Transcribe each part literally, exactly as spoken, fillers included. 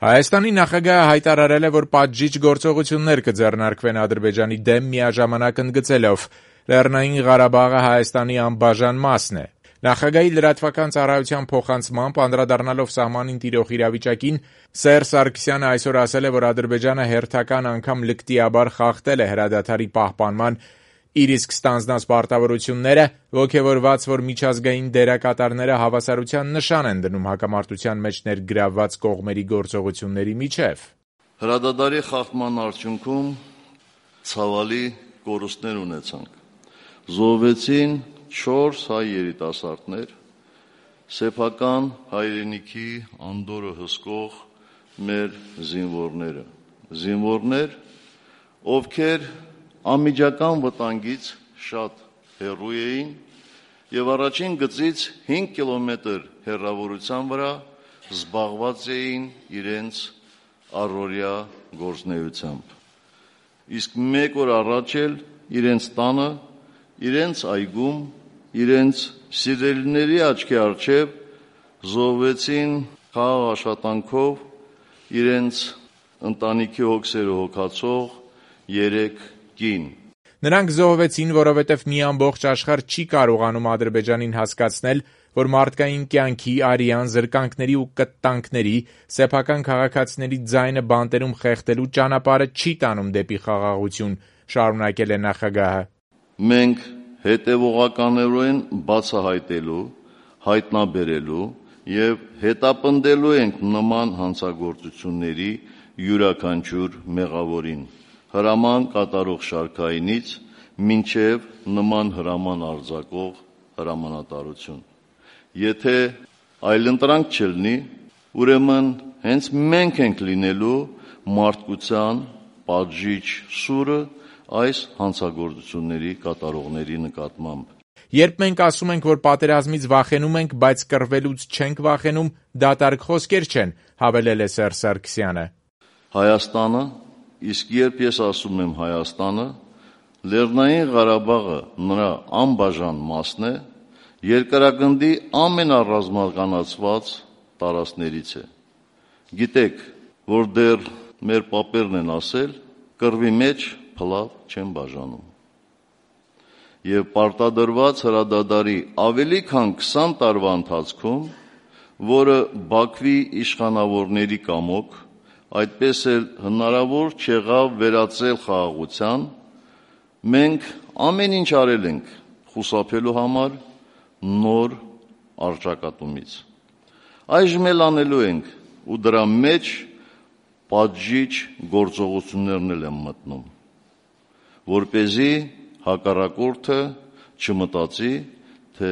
Հայաստանի նախագահը հայտարարել է, որ պատժիչ գործողություններ կձեռնարկվեն Ադրբեջանի դեմ միաժամանակ ընդգծելով. Լեռնային Ղարաբաղը Հայաստանի անբաժան մասն է։ Նախագահի լրատվական ծառայության փոխանցմամբ, անդրադառնալով սահմանին տիրող իրավիճակին, Սերժ Սարգսյանը այսօր ասել է, որ Ադրբեջանը հերթական անգամ լկտիաբար խախտել է հրադադարի պահպանման իր իսկ ստանձնած պարտավորությունները, ոգևորված, որ միջազգային դերակատարները հավասարության նշան են դնում հակամարտության մեջ ներգրավված կողմերի գործողությունների միջև։ Հրադադարի խախտման արդյունքում ցավալի կորուստներ ունեցանք։ Զոհվեցին չորս հայ երիտասարդներ, սեփական հայրենիքի անդորը հսկող մեր զինվորները, զինվորներ, ովքեր անմիջական վտանգից շատ հեռու էին եւ առաջին գծից հինգ կիլոմետր հեռավորության վրա զբաղված էին իրենց առօրյա գործունեությամբ։ Իսկ մեկ օր առաջ էլ իրենց տանը, իրենց այգում, իրենց սիրելիների աչքի առջև զոհվեցին խաղաղ աշխատանքով իրենց ընտանիքի հոգսերը հոգացող երեք կին։ Նրանք զոհվեցին, որովհետև մի ամբողջ աշխարհ չի կարողանում Ադրբեջանին հասկացնել, որ մարդկային կյանքի, արյան, զրկանքների ու կտտանքների, սեփական քաղաքացիների ձայնը բանտերում խեղդելու ճանապարհը չի տանում դեպի խաղաղություն, շարունակել է նախագահը։ Մենք հետևողականորեն բացահայտելու, հայտնաբերելու եւ հետապնդելու ենք նման հանցագործությունների յուրաքանչյուր մեղավորին, հրաման կատարող շարքայինից մինչև նման հրաման արձակող հրամանատարություն։ Եթե այլընտրանք չլինի, ուրեմն հենց մենք ենք լինելու մարդկության պատժիչ սուրը այս հանցագործությունների կատարողների նկատմամբ։ Երբ մենք ասում ենք, որ պատերազմից վախենում ենք, բայց կռվելուց չենք վախենում, դատարկ խոսքեր չեն, հավելել է Սերժ Սարգսյանը։ Հայաստանը, իսկ երբ ես ասում եմ Հայաստանը, Լեռնային Ղարաբաղը նրա անբաժան մասն է, երկրագնդի ամենառազմականացված տարածքներից է։ Գիտեք, որ դեռ մեր պապերն են ասել, կռվի մեջ փլավ չեն բաժանում։ Եվ պարտադրված հրադադարի ավելի քան քսան տարվա ընթացքում, որը Բաքվի իշխանավորների կամոք, այդպես էլ հնարավոր չեղավ վերածել խաղաղության, մենք ամեն ինչ արել ենք խուսափելու համար նոր առճակատումից։ Այժմ էլ անելու ենք ու դրա մեջ պատժիչ գործողություններն էլ են մտնում, որպեսզի հակառակորդը չմտածի, թե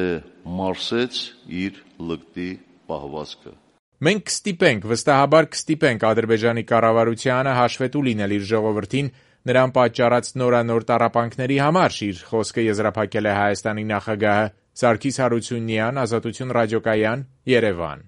մարսեց իր լկտի պահվածքը։ Մենք կստիպենք, վստահաբար կստիպենք Ադրբեջանի կառավարությանը հաշվետու լինել իր ժողովրդին, նրան պատճառած նորանոր տառապանքների համար, իր խոսքը եզրափակել է Հայաստանի նախագահը։ Սարգիս Հարությունյան, Ազատություն ռադիոկայան, Երևան։